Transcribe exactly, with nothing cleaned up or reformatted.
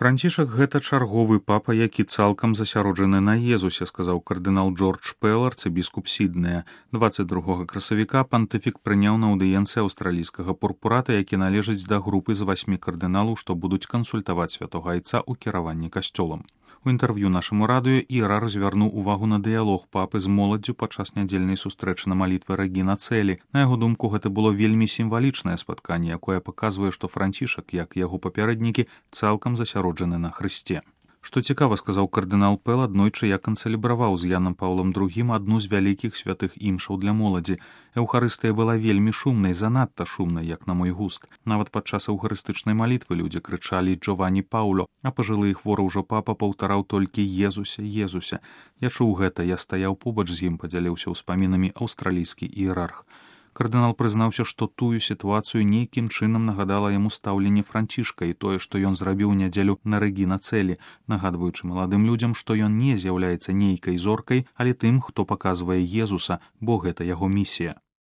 Францішак гэта чарговы папа, які цалкам засяроджаны на Езусе, сказаў кардынал Джордж Пэл, арцыбіскуп Сіднея. дваццаць другога красавіка пантыфік прыняў на аўдыенцыі аўстралійскага пурпурата, які належыць да групы з васьмі кардыналаў, што будуць кансультаваць святога айца ў кіраванні касцёлам. У інтэрв'ю нашаму радыё іерарх звярнуў увагу на дыялог папы з моладдзю падчас нядзельнай сустрэчы на малітве Рэгіна Цэлі. На яго думку, гэта было вельмі сімвалічнае спатканне, якое паказвае, што Францішак, як яго папярэднікі, цалкам засяроджаны на Хрысце. Што цікава, сказаў кардынал Пэл, аднойчы я канцэлебраваў з Янам Паўлам другім адну з вялікіх святых імшаў для моладзі. Эўхарыстыя была вельмі шумнай, занадта шумнай, як на мой густ. Нават падчас эўхарыстычнай малітвы людзі крычалі «Джованні Паўло», а пажылы і хворы ўжо папа паўтараў толькі «Езуся, Езуся». Я чуў гэта, я стаяў побач з ім, падзяліўся ўспамінамі аўстралійскі іерарх. Кардынал прызнаўся, што тую сітуацыю нейкім чынам нагадала яму стаўленне Францішка і тое, што ён зрабіў нядзелю на Рэгіна Цэлі, нагадваючы маладым людзям, што ён не з'яўляецца нейкай зоркай, але тым, хто паказвае Езуса, бо гэта яго місія.